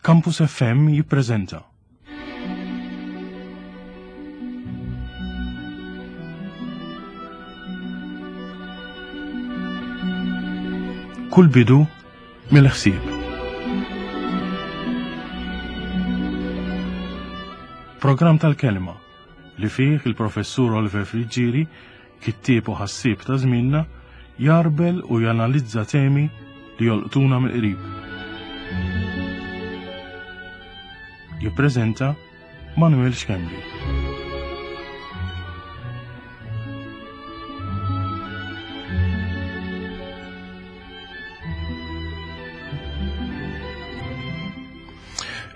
Campus FM jippreżenta. Kull bidu mill-ħsieb. Programm tal-kelma li fih il-professur Oliver Friggieri, kittieb u ħassieb ta' żmienna, jarbel u janalizza temi li jolqtuna mill-qrib. Jippreżenta Manuel Schembri.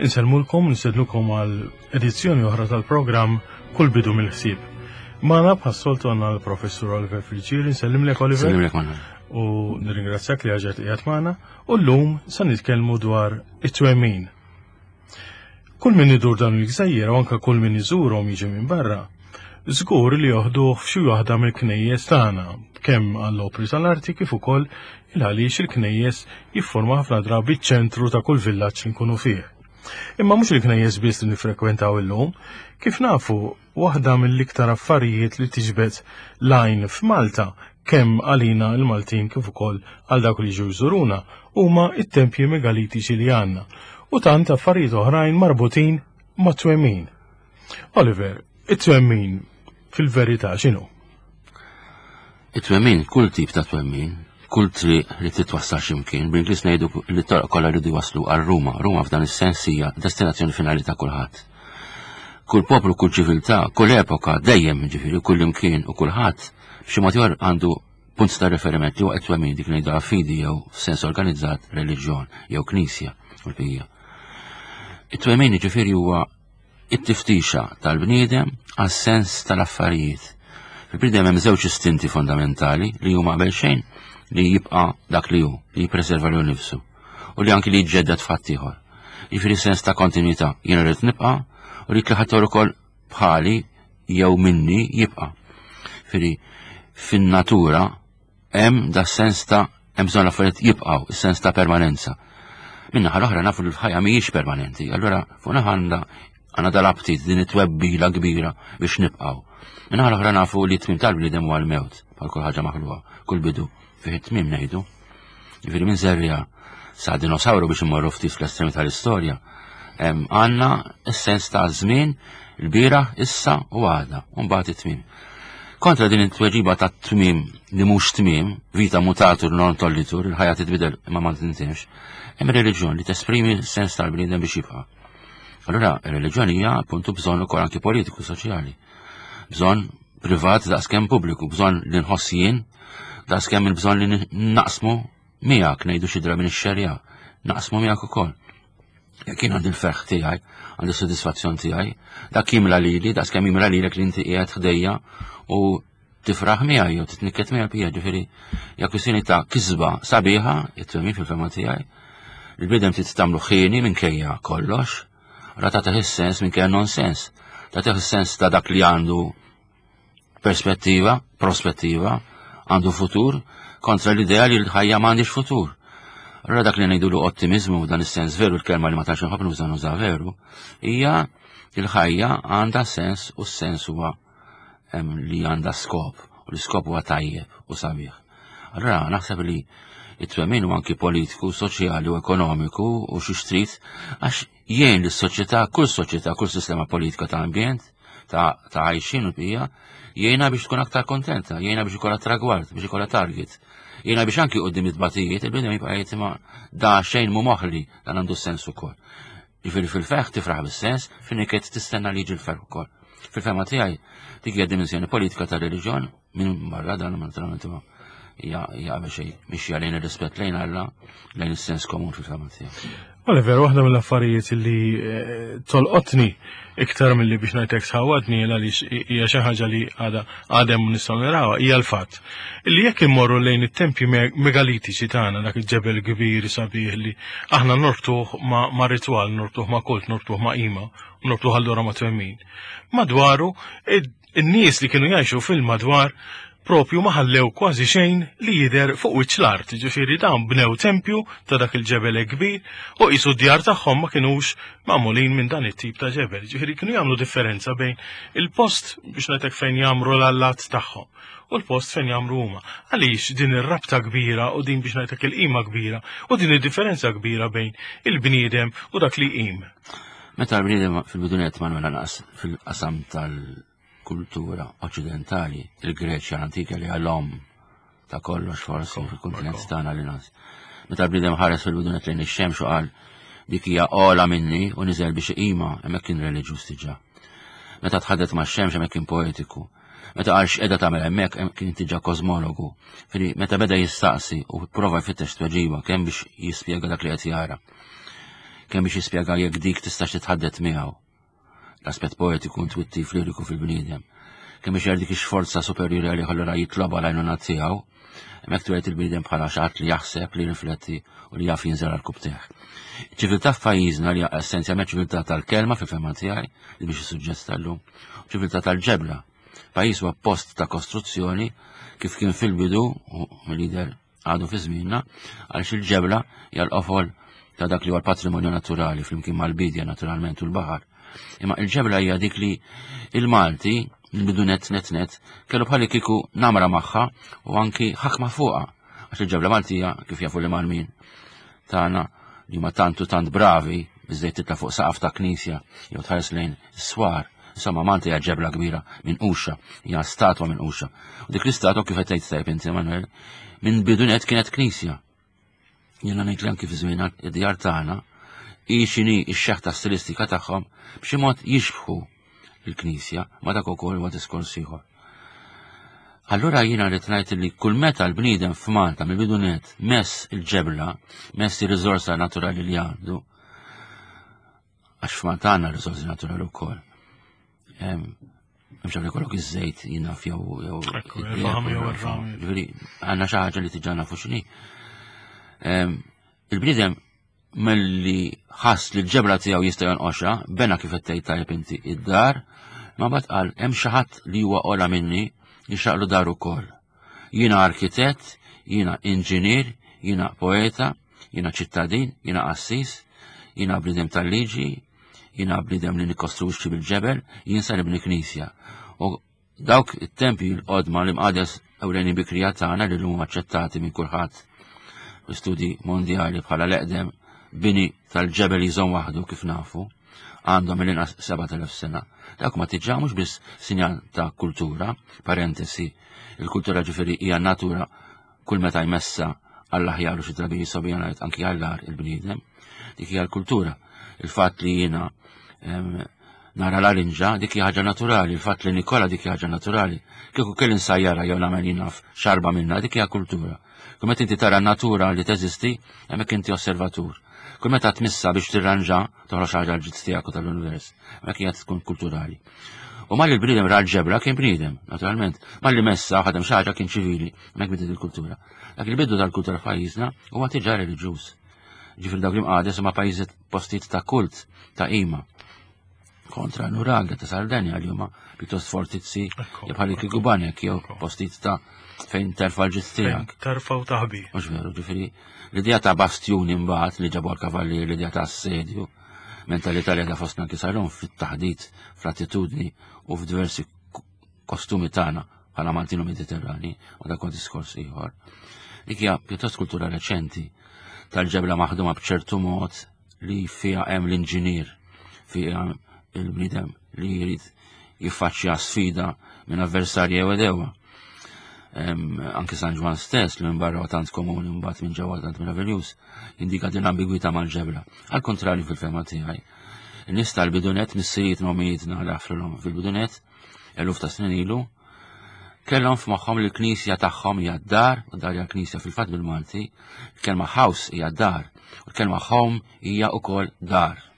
Insellmulkom, nsedlukom għal edizzjoni oħra tal-programm Kull bidu mill-ħsieb. Magħna bħas-soltu għandna l-Professur Oliver Friggieri, nsellimlek Oliver. Nsellimlek Manuel. U nirringrazzjak li għaġet qiegħed magħna. U llum se nitkellmu dwar it-twemmin. Kull min idur dan il-gżejjer u anke kull min iżurhom jiġi minn barra, żgur li joħduh f'xi waħda mill-knejjes tagħna, kemm għall-opri tal-arti kif ukoll il għaliex il-knejjes jiffurma ħafna drabi ċ-ċentru ta' kull villaġġ li nkunu fih. Imma mhux il-knejjes biss li nifrekwentaw illum, kif nafu waħda mill-iktar affarijiet li tiġbed l-għajn f'Malta kemm għalina l-Maltin kif ukoll għal dawk li jiġu jżuruna huma it-tempji megalitiċi li għandna u tant affarijiet oħrajn marbutin ma' twemmin. Oliver, it-twemmin fil-verità x'inhu? It-twemmin, kull tip ta' twemmin, kull triq li titwassal x'imkien, bl-Ingliż ngħidu li t-toroq kollha jridu jwasslu għal Ruma. Ruma f'dan is-sens hija destinazzjoni finali ta' kulħadd. Kull poplu, kull ċiviltà, kull epoka, dejjem ġifieri, kull imkien u kulħadd b'xi mod ieħor għandu punt ta' riferiment li huwa twemmin dik ngħidu fidi jew f'sens organizzat reliġjon jew knisja u l-bqija. It-twemmin ġifieri huwa it-tiftixa tal-bniedem għas-sens tal-affarijiet. Fil-bniedem hemm żewġ istinti fondamentali li huma qabel xejn li jibqa' dak li hu, li jippreserva lilu nnifsu u li anki li jiġġedded f'ħadd ieħor. Jiġifieri sens ta' kontinwità, jiena rrid nibqa' u rrid li ħadd ukoll bħali jew minni jibqa'. Jiġifieri fin-natura Hemm da sens ta' hemm bżonn l-affarijiet jibqgħu, is-sens ta' permanenza. Min-naħa l-oħra nafu li l-ħajja mhijiex permanenti, allura fuq naħa għandha għandna dal-aptit din it-twebbila kbira biex nibqgħu. Min-naħa l-oħra nafu li t-tmiem tal-bniedem huwa l-mewt, bħal kull ħaġa maħluqa, kull bidu fih it-tmiem ngħidu. Jiġifieri minn żerriegħa sa dinosawru biex immorru ftit fl-estremi tal-istorja, għandna s-sens ta' żmien, il-bieraħ, issa u għada, u mbagħad it-tmiem. Kontra din it-tweġiba ta' tmiem li mhux tmiem, vita mutatur non tollitur, il-ħajja titbidel imma ma tintemx, hemm reliġjon li tesprimi s-sens tal-bniedem biex jibqa'. Allura, ir-reliġjon hija appuntu bżonn ukoll anki politiku, soċjali. Bżonn privat daqskemm pubbliku, bżonn li nħoss jien, daqskemm il-bżonn li naqsmu miegħek ngħidu xi drabi nixxerja, naqsmu miegħek ukoll. Jekk jien għandi l-ferħ tiegħi, għandi s-sodisfazzjon tiegħi, dak jimla lili, daqskemm jimla lilek li inti qiegħed ħdejja u tifraħ miegħi jew titnikket miegħi bija, ġifieri hija kwistjoni ta' kisba sabiħa, it-twemmin fil-fema tiegħi. Il-bniedem trid tagħmlu ħieni minkejja kollox, ra tagħtih is-sens minkejja nonsens, tagħtih is-sens ta' dak li għandu perspettiva, prospettiva, għandu futur, kontra l-idea li l-ħajja m'għandix futur. Allora dak li ngħidulu ottimizmu dan is-sens veru l-kelma li ma tantx inħobb nuża nuża veru, hija l-ħajja għandha sens u s-sens huwa li għandha skop u l-iskop huwa tajjeb u sabiħ. Allora naħseb li it-twemmin huwa anki politiku, soċjali u ekonomiku u xi xtrid għax jgħin lis-soċjetà, kull soċjetà, kull sistema politika ta' ambjent, ta' għajxin u bija, jgħinha biex tkun aktar kontenta, jgħinha biex ikollha tragward, biex ikollha target. Jgħinha biex anki qudiem it-tbatijiet, il-bniedem jibqa' jgħid ma da xejn mu moħli dan għandu sens ukoll. Jiġifieri fil-ferħ tifraħ bis-sens, fin-niket tistenna li jiġi l-ferħ ukoll. Fil-fehma tiegħi dik hija dimensjoni politika tar-reliġjon minn barra dan naturalment ma hija qabel xejn mixja lejn ir-rispett lejn Alla, lejn is-sens komun fil-fehma tiegħi. Oliver, waħda mill-affarijiet li eh, tolqotni iktar milli biex ngħidlek sħawadni għaliex hija xi ħaġa li għadha għadem nistgħu narawha hija l-fatt li jekk immorru lejn it-tempji megalitiċi tagħna dak il-ġebel kbir sabiħ li aħna norbtuh ma' ritwal, norbtuh ma' kult, norbtuh ma' qima, norbtuh allura ma' twemmin. Madwaru in-nies li kienu jgħixu fil-madwar. propju ma ħallew kważi xejn li jidher fuq wiċċ l-art, ġifieri dawn bnew tempju ta' dak il-ġebel kbir u qisu d-djar tagħhom ma kinux magħmulin minn dan it-tip ta' ġebel. Ġifieri kienu jagħmlu differenza bejn il-post biex ngħidlek fejn jagħmru l-allat tagħhom u l-post fejn jagħmlu huma. Għaliex din ir-rabta kbira u din biex ngħidlek il-qima kbira u din id-differenza kbira bejn il-bniedem u dak li jqim. Meta l-bniedem fil-bidunet ma naqas fil-qasam tal- kultura oċċidentali, il-Greċja l-antika li għal-om ta' kollox forsi fil-kontinent tagħna li nas. Meta l-bniedem ħares fil-bidunet lejn ix-xemx u qal dik hija ola minni u niżel biex iqima hemmhekk kien reliġjuż diġà. Meta tħaddet max-xemx hemmhekk kien poetiku. Meta qal x'qiegħda tagħmel hemmhekk kien diġà kosmologu. Fili meta beda jistaqsi u prova jfittex tweġiba kemm biex jispjega dak li qed jara. Kemm biex jispjega jekk dik tistax titħaddet miegħu. L-aspett poetiku intwittiv liriku fil-bniedem. Kemm biex dik ix-forza superjuri għalih allura jitloba l-għajnuna tiegħu, hemmhekk tweled il-bniedem bħala xi ħadd li jaħseb, li rifletti u li jaf jinżel għal kubteħ. Ċiviltà f'pajjiżna li essenzjalment ċiviltà tal-kelma fil-fehma tiegħi li biex is-suġġett tal-lum, ċiviltà tal-ġebla. Pajjiż huwa post ta' kostruzzjoni kif kien fil-bidu u mill-lider għadu fi żmienna għaliex il-ġebla hija l-qofol ta' dak li huwa l-patrimonju naturali flimkien mal-bidja naturalment u l-baħar. Imma il-ġebla hija dik li il-Malti il-bidu net net net kellu bħalli kieku namra magħha u anki ħakma fuqha għax il-ġebla Maltija kif jafu li Malmin tagħna li huma tant u tant bravi biżejt titla' fuq saqaf ta' knisja jew tħares lejn is-swar. Insomma, Malta hija ġebla kbira minn uxa, hija statwa minn uxa. U dik l-istatwa kif qed tgħid tajb inti Manuel, minn bidunet kienet knisja. Jiena ngħid li anki fi żmien id-djar tagħna hi x'inhi x-xeħta stilistika tagħhom b'xi mod jixbħu il-knisja, ma dak ukoll huwa diskors ieħor. Allura jiena rrid ngħid li kull meta l-bniedem f'Malta mill-bidunet mess il-ġebla, mess ir-riżorsa naturali li għandu, għax f'Malta għandna riżorsi naturali wkoll. Mhux għalli kollok iż-żejt jiena jew jew Ġifieri għandna xi ħaġa li tiġa nafu x'inhi. Il-bniedem Milli ħass li l-ġebla tiegħu jista' jonqoxha, bena kif qed tgħid tajjeb inti id-dar, ma mbagħad qal hemm xi ħadd li huwa ola minni jixraqlu dar ukoll. Jiena arkitett, jiena inġinier, jiena poeta, jiena ċittadin, jiena qassis, jiena bniedem tal-liġi, jiena bniedem li nikkostruixxi bil-ġebel, jien sa nibni knisja. U Dawk it-tempji l-qodma l-imqades ewlenin bikrija tagħna li llum aċċettati minn kulħadd fi studi mondjali bħala l-eqdem bini tal-ġebel jżomm waħdu kif nafu għandhom mill-inqas 7000 sena. Dak ma tiġa mhux biss sinjal ta' kultura, parentesi, il-kultura ġifieri hija natura kull meta jmessa għall-aħjar u xi drabi jisobija ngħid anki għall-agħar il-bniedem. Dik hija l-kultura. Il-fatt li jiena nara l-arinġa dik hija ħaġa naturali, il-fatt li nikola dik hija ħaġa naturali. Kieku kelli nsajjara jew nagħmel jien naf xarba minnha dik hija kultura. Kull meta inti tara n-natura li teżisti, hemmhekk inti osservatur. Kull meta tmissa biex tirranġa, toħroġ ħaġa l-ġid tiegħek u tal-univers. Hemmhekk hija tkun kulturali. U malli l-bniedem ra l-ġebra kien bniedem, naturalment. Malli messa ħadem xi ħaġa kien ċivili, hemmhekk bidiet il-kultura. Dak il-bidu tal-kultura f'pajjiżna huwa tiġa reliġjuż. Ġifieri dawk l-imqades huma pajjiżi postijiet ta' kult, ta' qima. Kontra Nuraga ta' Sardenja li huma pjuttost fortizzi bħal kieku banek jew postijiet ta' fejn terfa' l-ġid tiegħek. Terfa' u taħbi. Mhux veru, ġifieri l-idea ta' bastjuni mbagħad li ġabu l-kavallieri, l-idea ta' assedju, mentalità li għadha fostna anki salum fit-taħdit, fl-attitudni u f'diversi kostumi tagħna bħala Maltin u Mediterrani, u dak diskors ieħor. Dik hija pjuttost kultura reċenti tal-ġebla maħduma b'ċertu mod li fiha hemm l-inġinier, fiha il-bniedem li jrid jiffaċċja sfida minn avversarji jew edewa. Anki San Ġwan stess li minn barra tant komuni mbagħad minn ġewwa tant meraviljuż, jindika din l-ambigwità mal-ġebla. Għal kontrarju fil-fehma tiegħi. In-nies tal-bidunet missirietna u mijietna li fil-bidunet eluf ta' snin ilu, kellhom f'moħħhom li l-knisja tagħhom hija d-dar, u dar hija l-knisja fil-fatt bil-Malti, il-kelma house hija dar, u l-kelma home hija wkoll dar.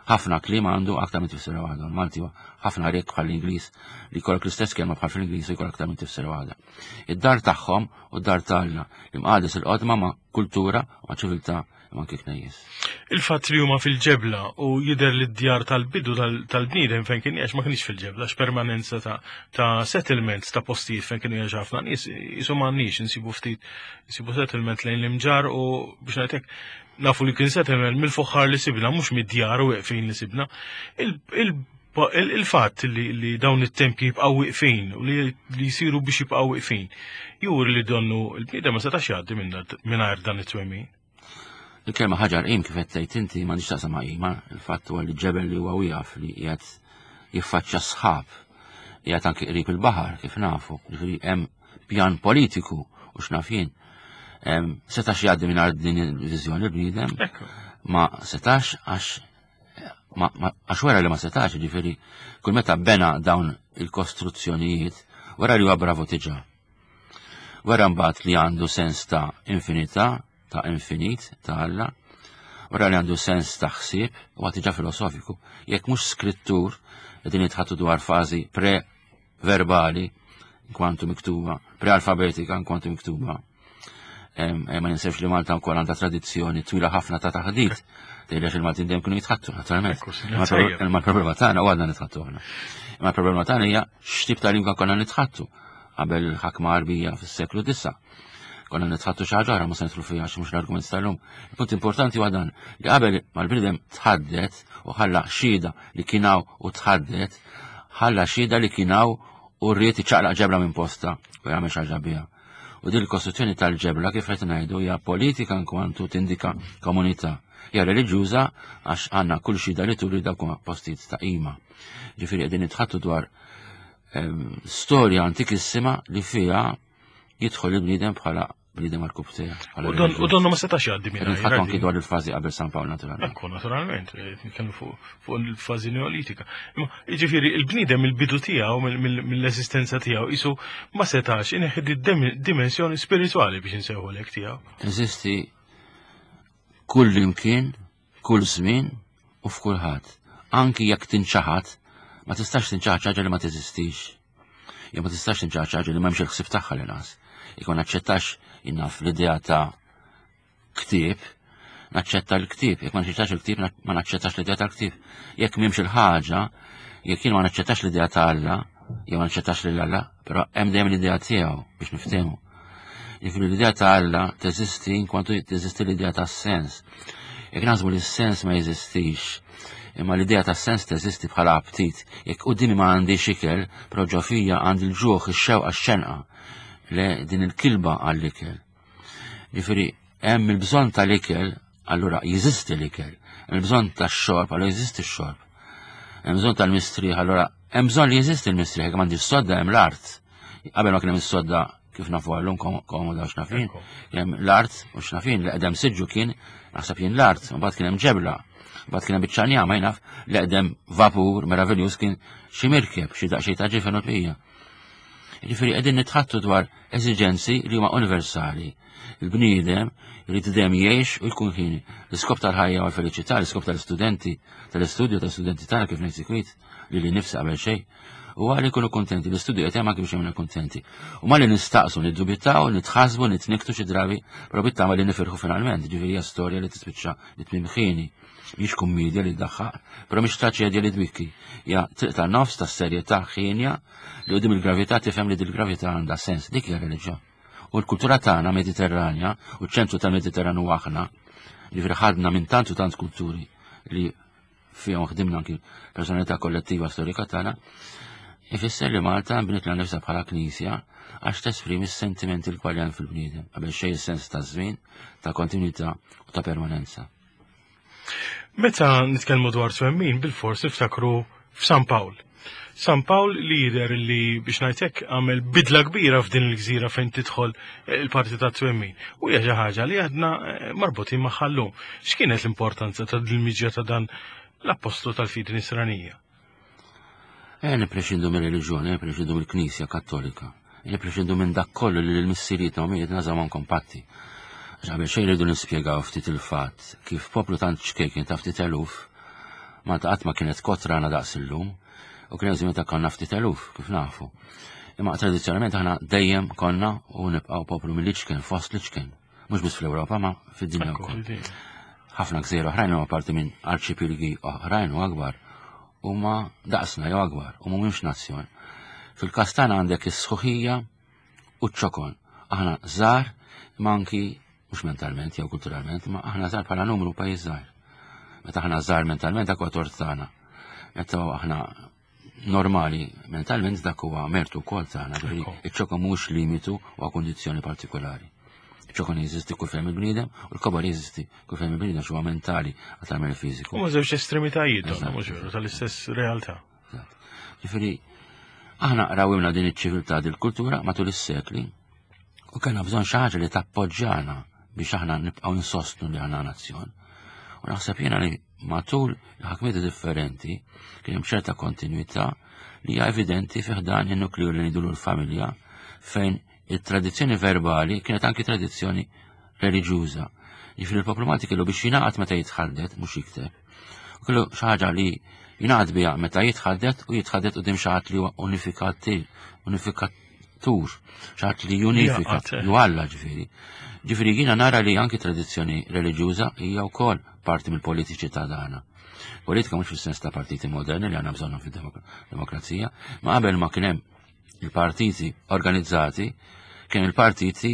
Ħafna kliem għandu aktar minn tifsira waħda. Malti huwa ħafna rikk bħal l-Ingliż li jkollok l-istess kelma bħal fl-Ingliż u jkollok aktar minn tifsira waħda. Id-dar tagħhom u d-dar tagħna l-imqades il-qodma ma' kultura u ma' ċiviltà. imma anki knejjes. Il-fatt li huma fil-ġebla u jidher li d-djar tal-bidu tal-bniedem fejn kien jgħix ma kienx fil-ġebla, x'permanenza ta', ta settlements ta' postijiet fejn kienu jgħix ħafna nies, jisu m'għandniex insibu ftit insibu settlement lejn l-imġar u biex ngħidlek nafu li kien settlement mill-fuħħar li sibna mhux mid-djar u weqfin li sibna. Il-fatt li dawn it-tempji jibqgħu wieqfin u li jsiru biex jibqgħu wieqfin juri li donnu l-bniedem ma setax jgħaddi mingħajr dan it-twemmin. Il-kelma ħaġar qim kif qed tgħid inti m'għandix taqsam ma' qima, il-fatt huwa li ġebel li huwa wieqaf li qiegħed jiffaċċja sħab, qiegħed anki qrib il-baħar kif nafu, ġifieri hemm pjan politiku u x'naf jien. Setax jgħaddi mingħajr din il-viżjoni l-bniedem, ma setax għax għax wara li ma setax, ġifieri kull meta bena dawn il-kostruzzjonijiet, wara li huwa bravu tiġa. Wara mbagħad li għandu sens ta' infinità, ta' infinit, ta' Alla, wara li għandu sens ta' ħsieb, huwa tiġa filosofiku. Jekk mhux skrittur, qegħdin jitħattu dwar fażi pre-verbali, kwantu miktuba, pre-alfabetika, kwantu miktuba. Ma ninsewx li Malta wkoll għandha tradizzjoni twila ħafna ta' taħdit. Tgħidx il-Maltin dejjem kienu jitħattu, naturalment. Imma l-problema tagħna u għadna nitħattu aħna. Imma l-problema tagħna hija x'tip ta' lingwa konna nitħattu qabel il-ħakma Għarbija fis-seklu disa. Konna nitħattu xi ħaġa oħra ma se nidħlu fiha għax mhux l-argument tal-lum. Il-punt importanti huwa dan li qabel mal-bniedem tħaddet u ħalla xhieda li kien hawn u tħaddet, ħalla xhieda li kien hawn u rrid iċaqlaq ġebla minn posta u jagħmel xi ħaġa biha. U din il-kostruzzjoni tal-ġebla kif qed ngħidu hija politika nkwantu tindika komunità. Hija reliġjuża għax għandna kull xhieda li turi dawk huma postijiet ta' qima. Ġifieri qegħdin nitħattu dwar storja antikissima li fiha jidħol il-bniedem bħala bniedem għal kubtija. U donnu ma setax jgħaddi minn. Nitħattu anki dwar il-fażi qabel San Pawl naturalment. Ekku, naturalment, nitkellmu fuq il-fażi neolitika. Imma jiġifieri il-bniedem il-bidu tiegħu mill-eżistenza tiegħu isu ma setax ineħħi dimensjoni spiritwali biex insewħu lek tiegħu. Teżisti kull imkien, kull żmien u f'kulħadd. Anki jekk tinċaħad, ma tistax tinċaħad ħaġa li ma teżistix. Jew ma tistax tinċaħad ħaġa li m'hemmx il-ħsieb tagħha li nas. Jekk ma naċċettax jinnaf l-idea ta' ktieb, naċċetta l-ktieb, jekk ma naċċettax il-ktieb, ma naċċettax l-idea tal-ktieb. Jekk m'hemmx il-ħaġa, jekk jien ma naċċettax l-idea ta' Alla, jew ma naċċettax lil Alla, però hemm dejjem l-idea tiegħu biex niftehmu. Jiġifieri l-idea ta' Alla teżisti inkwantu teżisti l-idea ta' sens. Jekk naħsbu li s-sens ma jeżistix, imma l-idea ta' sens teżisti bħala aptit, jekk qudiemi ma għandix ikel, però ġo fija għandi l-ġuħ, ix-xewqa, x-xenqa, le din il-kilba għall-ikel. Ġifieri hemm il-bżonn tal-ikel, allura jeżisti l-ikel. Hemm il-bżonn tax-xorb, allura jeżisti x-xorb. Hemm bżonn tal-mistrieħ, allura hemm bżonn li jeżisti l-mistrieħ, jekk m'għandix sodda hemm l-art. Qabel ma kien hemm is-sodda kif nafu għallum komoda u xnafin, hemm l-art u xnafin li qedem siġġu kien naħseb jien l-art, u mbagħad kien hemm ġebla, mbagħad kien hemm biċċa njama jnaf li qedem vapur meraviljuż kien xi mirkeb, xi daqsxejn ta' ġifen u tbija. Jiġifieri qegħdin nitħattu dwar eżiġenzi li huma universali. Il-bniedem irid dejjem jgħix u jkun ħini. L-iskop tal-ħajja u l-feliċità, l-iskop tal-istudenti, tal-istudju tal-istudenti tagħna kif ngħid sikwit, li li nifsi qabel xejn, u għal ikunu kontenti, l-istudju qed jagħmel biex jagħmilna kontenti. U ma li nistaqsu, niddubitaw, nitħasbu, nitniktu xi drabi, però bit-tama li nifirħu finalment, ġifieri hija storja li tispiċċa li tmiem ħini. Mhix kummedja li ddaħħaq, però mhix traċedja li tbikki. Ja triq tan-nofs tas-serjetà ħienja li qudiem il-gravità tifhem li dil-gravità għandha sens, dik hija reliġjon. U l-kultura tagħna Mediterranja u ċ-ċentru tal-Mediterran huwa aħna, ġifieri ħadna minn tant u tant kulturi li fihom ħdimna anki personalità kollettiva storika tagħna, ifisser li Malta bniet la nifsa bħala knisja għax tesprimi s-sentimenti l-kwaljan fil-bniedem, qabel xejn is-sens ta' żmien, ta' kontinwità u ta' permanenza. Meta nitkellmu dwar twemmin, bil-fors niftakru f'San Pawl. San Pawl li jidher li biex ngħidlek għamel bidla kbira f'din il-gżira fejn tidħol il-parti ta' twemmin. U hija xi ħaġa li għadna eh, marbutin magħha llum. X'kienet l-importanza ta' dil-miġja ta' dan l-appostlu tal-fidi nisranija? Eh, nipprexxindu mir-reliġjoni, nipprexxindu mill-Knisja Kattolika, nipprexxindu minn dak kollu li l-missirietna u mijietna żamhom kompatti. Għax qabel xejn rridu nispjegaw ftit il-fatt kif poplu tant ċkejken ta' ftit eluf, Malta qatt ma kienet kotrana daqs illum, u kien hemm żmien ta' konna ftit eluf, kif nafu. Imma tradizzjonalment aħna dejjem konna u nibqgħu poplu mill-iċken, fost l-iċken. Mhux biss fl-Ewropa, ma fid-dinja wkoll. Ħafna gżejjer oħrajn huma parti minn arċipilgi oħrajn u akbar huma daqsna jew akbar u mhumiex nazzjon. Fil-każ tagħna għandek is-sħuħija u ċ-ċokon. Aħna żgħar imma anki mhux mentalment jew kulturalment, imma aħna żgħar bħala numru pajjiż żgħir. Meta aħna żgħar mentalment dak huwa tort tagħna. Meta aħna normali mentalment dak huwa mertu wkoll tagħna, ġifieri iċ-ċokon mhux limitu u kundizzjoni partikolari. Iċ-ċokon jeżisti kull fejn il-bniedem u l-kobor jeżisti kull fejn il-bniedem huwa mentali aktar mill fiżiku. Huma żewġ estremitajiet mhux veru tal-istess realtà. Ġifieri aħna rawimna din iċ-ċiviltà din il-kultura matul is-sekli u kellna bżonn xi ħaġa li tappoġġjana biex aħna nibqgħu insostnu li aħna nazzjon. U naħseb jiena li matul il-ħakmiet differenti kien hemm ċerta kontinwità li hija evidenti fi ħdan in-nukleu li ngħidulu l-familja fejn it-tradizzjoni verbali kienet anki tradizzjoni reliġjuża. Jiġifieri l-poplu Malti kellu biex jingħaqad meta jitħaddet, mhux jikteb. U kellu xi ħaġa li jingħaqad biha meta jitħaddet u jitħaddet quddiem xi ħadd li huwa unifikatir, unifikatur, xi ħadd li junifika, ju Alla ġifieri. Ġifieri jiena nara li anki tradizzjoni reliġjuża hija wkoll parti mill-politiċità tagħna. Politika mhux fis-sens ta' partiti moderni li għandna bżonnhom fid-demokrazija, ma qabel ma kien hemm il-partiti organizzati, kien il-partiti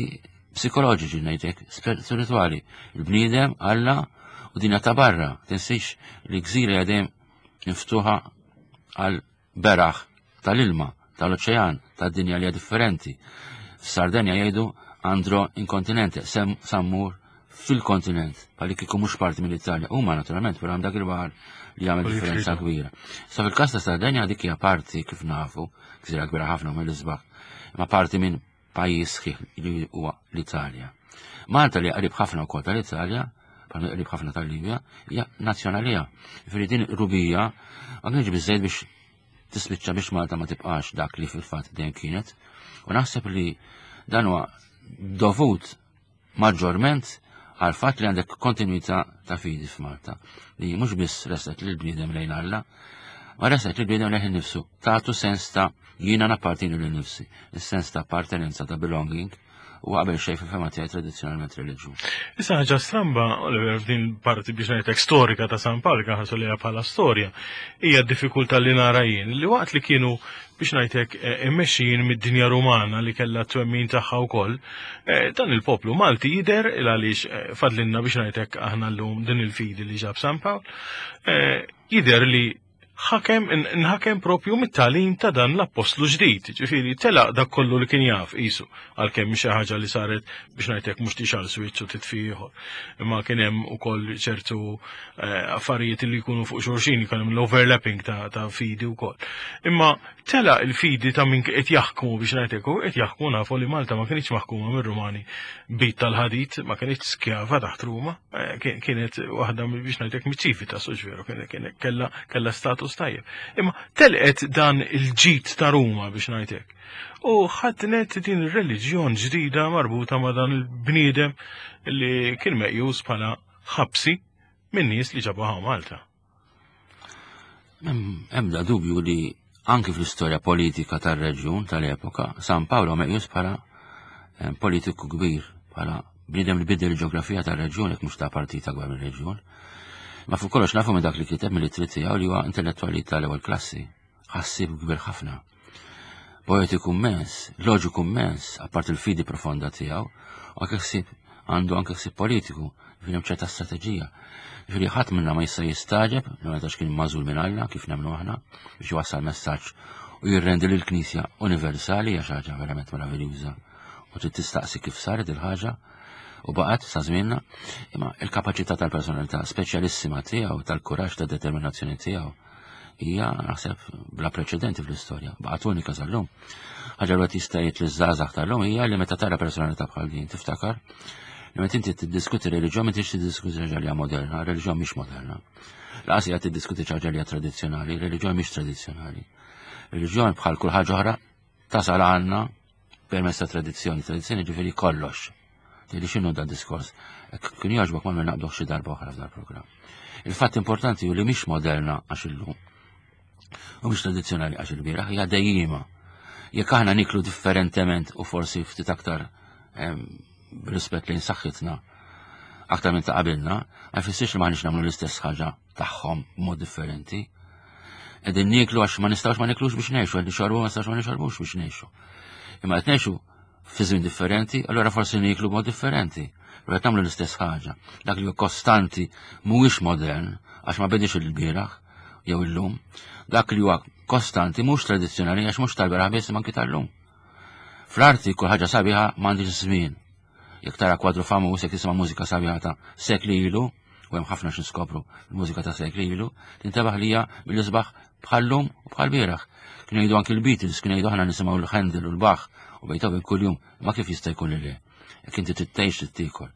psikoloġiċi ngħidlek, spirituali. Il-bniedem, Alla u dinja ta' barra. Tinsiex li gżira dejjem miftuħa għal beraħ tal-ilma, tal-oċean, tad-dinja li hija differenti. F'Sardenja jgħidu andro in kontinente, sem sammur fil-kontinent, bħalli kieku mhux parti mill-Italja. Huma naturalment, però hemm dak il-baħar li jagħmel differenza kbira. Sa fil-każ ta' Sardenja dik hija parti kif nafu, gżira kbira ħafna mill-isbaħ, ma parti minn pajjiż sħiħ li huwa l-Italja. Malta li qrib ħafna wkoll tal-Italja, bħalma qrib ħafna tal-Libja, hija nazzjonalija. Ġifieri din rubija ma kienx biżejjed biex tispiċċa biex Malta ma tibqax dak li fil-fatt dejjem kienet. U naħseb li dan huwa dovut maġġorment għal fatt li għandek kontinuità ta' fidi f'Malta li mhux biss resqet lil bniedem lejn Alla, ma resqet lil bniedem lejn nifsu, tagħtu sens ta' jiena nappartieni lil nifsi, is-sens ta' appartenenza ta' belonging u qabel xejn fil-fema tiegħi tradizzjonalment reliġjuż. Issa ħaġa stramba, Oliver, f'din parti biex ngħidlek storika ta' San Pawl ħarsu liha bħala storja, hija d-diffikultà li nara jien li waqt li kienu biex ngħidlek eh, immexxijin mid-dinja Rumana li kellha twemmin tagħha wkoll, eh, dan il-poplu Malti jidher il għaliex eh, fadlinna biex ngħidlek aħna llum din il-fidi li ġab San Pawl, jidher li ħakem nħakem propju mit-talim ta' dan l-appostlu ġdid, ġifieri telaq dak kollu li kien jaf qisu għalkemm xi ħaġa li saret biex ngħidlek mhux tixgħal switch u titfi ieħor. Imma kien hemm ukoll ċertu eh, affarijiet li jkunu fuq xulxin, jkun hemm l-overlapping ta', ta fidi wkoll. Imma tela il-fidi ta' min qed jaħkmu biex ngħidlek u qed jaħkmu nafu li Malta ma kienx maħkuma mir-Rumani bit tal-ħadid, ma kienx skjava taħt Ruma. Eh, kienet waħda biex ngħidlek miċ-ċivi ta' veru, kienet kella kella status tajjeb. Imma telqet dan il-ġid ta' Ruma biex ngħidlek. U ħadnet din ir-reliġjon ġdida marbuta ma' dan il-bniedem li kien meqjus bħala ħabsi minn nies li ġabuha Malta. Ebda dubju li anki fl-istorja politika tar-reġjun tal-epoka, San Paolo meqjus bħala eh, politiku kbir, bħala bniedem li bidel il-ġeografija tar-reġjun jekk mhux ta' partita gwar mir-reġjun. Ma fuq kollox nafu minn dak li kiteb mill-ittri tiegħu li huwa intellettwali tal-ewwel klassi, ħassieb kbir ħafna. Poetiku immens, loġiku immens, apart il-fidi profonda tiegħu, u anke ħsieb għandu anke ħsieb politiku, ġifieri hemm ċerta strateġija. Ġifieri ħadd minna ma jista' jistagħġeb li ma kien magħżul minn Alla kif nemmnu aħna biex iwassal messaġġ u jirrendi lill knisja universali hija xi ħaġa verament meraviljuża u trid tistaqsi kif saret il-ħaġa u baqgħet sa żmienna, imma il-kapaċità tal-personalità speċjalissima tiegħu, tal-kuraġġ, tad-determinazzjoni tiegħu hija naħseb bla preċedenti fl-istorja, baqgħet unika sal-lum. Ħaġa li jista' jgħid liż-żgħażagħ tal-lum hija li meta tara personalità bħal din tiftakar li meta inti tiddiskuti reliġjon m'intix tiddiskuti ħaġa li hija moderna, reliġjon mhix moderna. Laqas hija tiddiskuti ħaġa li hija tradizzjonali, reliġjon mhix tradizzjonali. Reliġjon bħal kull ħaġa oħra tasal għandna permezz ta' tradizzjoni, tradizzjoni ġifieri kollox. Tgħidli x'inhu dan diskors? Kien jogħġbok ma naqbduh xi darba oħra f'dal programm. Il-fatt importanti hu li mhix moderna għax illum. U mhix tradizzjonali għax il-bieraħ hija dejjima. Jekk aħna niklu differentement u forsi ftit aktar b'rispett lejn saħħitna. aktar minn ta' qabilna, ma jfissirx li m'aħniex nagħmlu l-istess ħaġa tagħhom b'mod differenti. Qegħdin nieklu għax ma nistgħux ma niklux biex ngħixu, qegħdin nixorbu ma nistgħux ma nixorbux biex ngħixu. Imma qed ngħixu fi żmien differenti, allura forsi nieklu b'mod differenti. Però qed nagħmlu l-istess ħaġa. Dak li hu kostanti mhuwiex modern għax ma bedix il-bieraħ jew illum. Dak li huwa kostanti mhux tradizzjonali għax mhux tal-beraħ biss imma anki tal-lum. Fl-arti kull ħaġa sabiħa m'għandix żmien. Jekk tara kwadru famuż, jekk tisma' mużika sabiħa ta' sekli ilu, u hemm ħafna x'niskopru l-mużika ta' sekli ilu, tintebaħ li hija mill-isbaħ bħal-lum u bħal bieraħ. Kienu jgħidu anki l-Beatles, kienu jgħidu aħna nisimgħu l-Handel u l-Bach u Beethoven kuljum, ma kif jista' jkun li le? Jekk inti trid tgħix trid tiekol.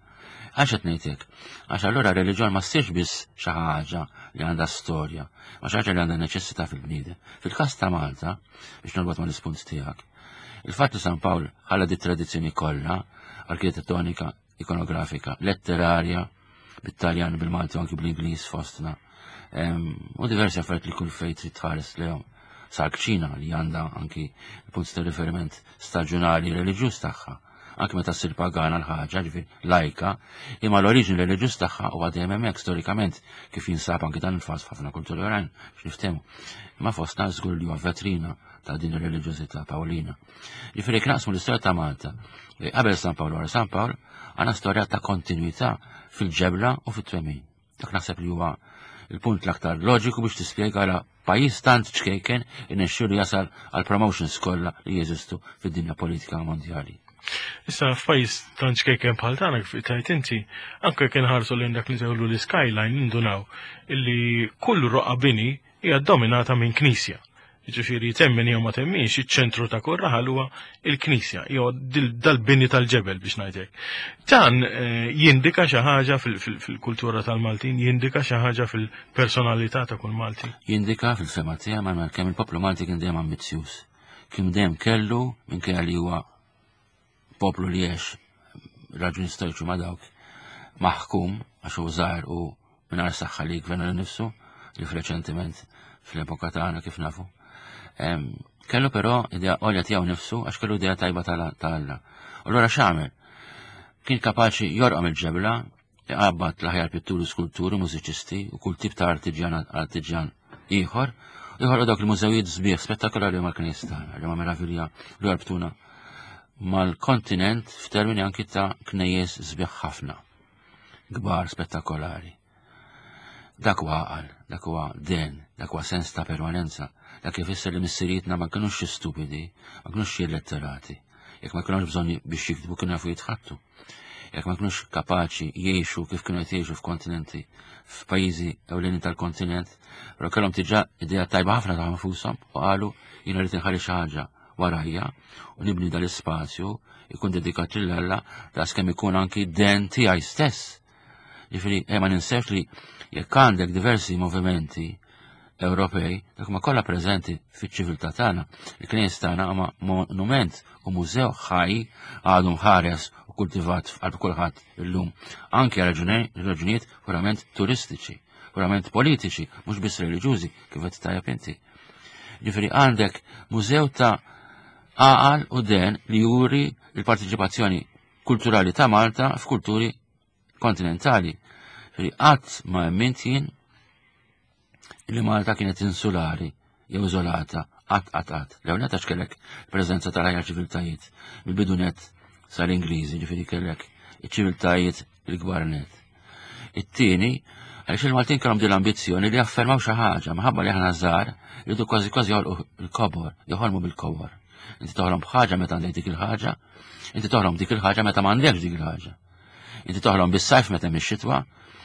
Għax qed ngħid hekk? Għax allura r-reliġjon ma ssirx biss xi ħaġa li għandha storja, ma xi ħaġa li għandha neċessità fil-bniedem. Fil-każ ta' Malta, biex norbot mal-ispunt tiegħek, il-fatt li San Pawl ħalla di tradizzjoni kollha, arkitettonika, ikonografika, letterarja, bit-Taljan, bil-Malti u anki bl-Ingliż fostna. U diversi affarijiet li kull fejn trid tħares lehom. Sal-kċina li għandha anki punt ta' riferiment staġunali reliġjuż tagħha. Anki meta ssir pagana l-ħaġa, ġifieri lajka, imma l-oriġini reliġjuż tagħha huwa dejjem hemmhekk storikament kif jinsab anki dan il-faż f'ħafna kulturi oħrajn biex niftehmu. Imma fostna żgur li huwa vetrina ta' din ir-reliġjożità Pawlina. Ġifieri jekk naqsmu l-istorja ta' Malta qabel San Pawl wara San Pawl, għandna storja ta' kontinwità fil-ġebla u fit-twemmin. Dak naħseb li huwa il-punt l-aktar loġiku biex tispjega għala pajjiż tant ċkejken irnexxielu jasal għal promotions kollha li jeżistu fid-dinja politika mondjali. Issa f'pajjiż tant ċkejken bħal tagħna kif tajt inti, anke kien ħarsu lejn dak li nsejħulu l-skyline nindunaw illi kull roqa bini hija dominata minn knisja. Jiġifieri temmen jew ma temminx, iċ-ċentru ta' kull raħal huwa il-knisja, jew dal-bini tal-ġebel biex ngħidlek. Dan eh, jindika xi ħaġa fil-kultura tal-Maltin, jindika xi ħaġa fil-personalità ta' kull Malti. Jindika fil-fema tiegħi ma kemm il-poplu Malti kien dejjem ambizzjuż. Kien dejjem kellu minkejja li huwa poplu li għex raġuni storiċi ma' dawk maħkum għax hu żgħar u mingħajr saħħa li jgverna lil nifsu li f'reċentiment fl-epoka tagħna kif nafu. Kellu però idea għolja tiegħu nifsu għax kellu idea tajba ta' Alla. U allura x'għamel? Kien kapaċi jorqom il-ġebla, iqabbad l-aħjar pitturi, skulturi, mużiċisti u kull tip ta' artiġjan artiġjan ieħor, ieħor dawk il-mużewijiet sbieħ spettakolari mal-knejjes tagħna li ma meravilja li jorbtuna mal-kontinent f'termini anki ta' knejjes sbieħ ħafna, kbar spettakolari. Dak huwa għaqal, dak huwa den, dak huwa sens ta' permanenza, dak ifisser li missirietna ma kinux xi stupidi, ma kinux xi illetterati. Jekk ma kinux bżonn biex jiktbu kienu jafu jitħattu. Jekk ma kinux kapaċi jgħixu kif kienu qed jgħixu f'kontinenti, f'pajjiżi ewlenin tal-kontinent, però kellhom diġà idea tajba ħafna ta' nfushom u qalu jiena rrid inħalli xi ħaġa warajja u nibni dal-ispazju ikun dedikat lil Alla daqskemm ikun anki den tiegħi stess. Ġifieri, eh, ma ninsewx li jekk għandek diversi movimenti Ewropej, dak ma kollha preżenti fiċ-ċiviltà tagħna. Il-knejjes tagħna huma monument u mużew ħaj għadu mħares u kultivat f'qalb kulħadd illum, anke għal raġunijiet purament turistiċi, purament politiċi, mhux biss reliġjużi kif qed tajjeb inti. Ġifieri għandek mużew ta' għaqal u den li juri l-partiċipazzjoni kulturali ta' Malta f'kulturi kontinentali. Ġifieri qatt ma emmint jien li Malta kienet insulari jew iżolata qatt qatt qatt. Lew net għax kellek preżenza tal-ħajja ċiviltajiet mill-bidu net sal-Ingliżi, ġifieri kellek iċ-ċiviltajiet il-kbar net. It-tieni, għaliex il-Maltin kellhom din l-ambizzjoni li jaffermaw xi ħaġa, minħabba li aħna żgħar rridu kważi kważi joħolqu l-kobor, joħolmu bil-kobor. Inti toħlom b'ħaġa meta għandek dik il-ħaġa, inti toħlom dik il-ħaġa meta m'għandekx dik il-ħaġa. Inti toħlom bis-sajf meta hemm ix-xitwa,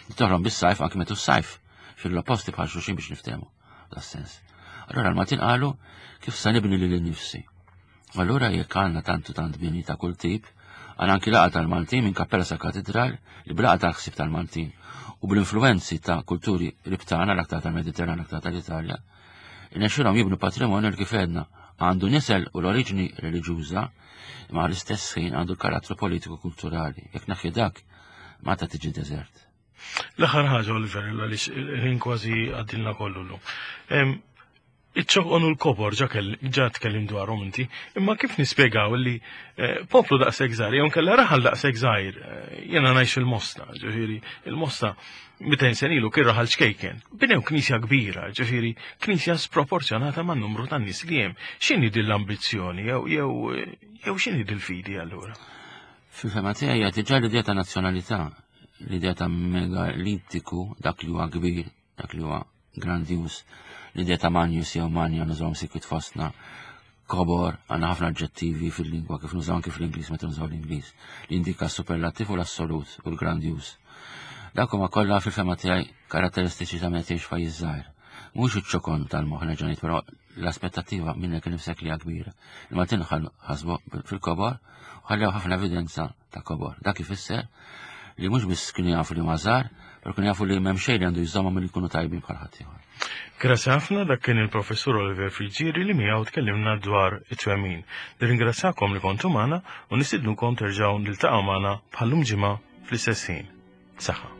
inti toħlom bis-sajf anki meta s-sajf. Fil-opposti bħal xulxin biex niftehmu das-sens. Allura l-Maltin qalu kif sa nibni lili nnifsi. Allura jekk għandna tantu tant bini ta' kull tip, għandna anki laqgħa tal-Maltin minn kappella sa katedral li b'laqgħa tal-ħsieb tal-Maltin u bl-influenzi ta' kulturi ribtana l-aktar tal-Mediterran, l-aktar tal-Italja, irnexxielhom jibnu patrimonju li kif għedna għandu nisel u l-oriġini reliġjuża imma l-istess ħin għandu l-karattru politiku kulturali. Jekk naħi dak, Malta tiġi deżert. L-aħħar ħaġa, Oliver, għaliex il-ħin kważi għaddilna kollu llum. Iċ-ċoqon u l-kobor ġa ġa tkellim dwarhom inti, imma kif nispjegaw li eh, poplu daqshekk żgħir jew nkella raħal daqshekk żgħir, eh, jiena ngħix il-Mosta, ġifieri il-Mosta 200 sen ilu kien raħal ċkejken. Binew knisja kbira, ġifieri knisja sproporzjonata man numru tan nies li hemm. X'inhi din l-ambizzjoni jew jew jew x'inhi dil-fidi allura? Fil-fema tiegħi hija diġà l-idea ta' nazzjonalità, l-idea ta' megalitiku, dak li huwa kbir, dak li huwa grandjuż, l-idea ta' Magnus jew Manja nużawhom sikwit fostna, kobor, għandna ħafna aġġettivi fil-lingwa kif nużaw anki fl-Ingliż meta nużaw l-Ingliż, li jindika s-superlattiv u l-assolut u l-grandjuż. Dak huma kollha fil-fema tiegħi karatteristiċi ta' meta tgħix f'pajjiż żgħir. Mhux iċ-ċokon tal-moħħ nerġa' ngħid, però l-aspettattiva minnek innifsek li hija kbira. Il-Maltin ħasbu fil-kobor u ħallew ħafna evidenza ta' kobor. Dak ifisser li mhux biss kienu jafu li huma żgħar, però kienu jafu li m'hemm xejn li għandu jżommhom milli jkunu tajbin bħal ħaddieħor. Grazzi ħafna dak kien il-Professur Oliver Friggieri li miegħu tkellimna dwar it-twemmin. Nirringrazzjakom li kontu magħna u nistidnukom terġgħu niltaqgħu magħna bħallum ġimgħa fl-istess ħin. Saħħa.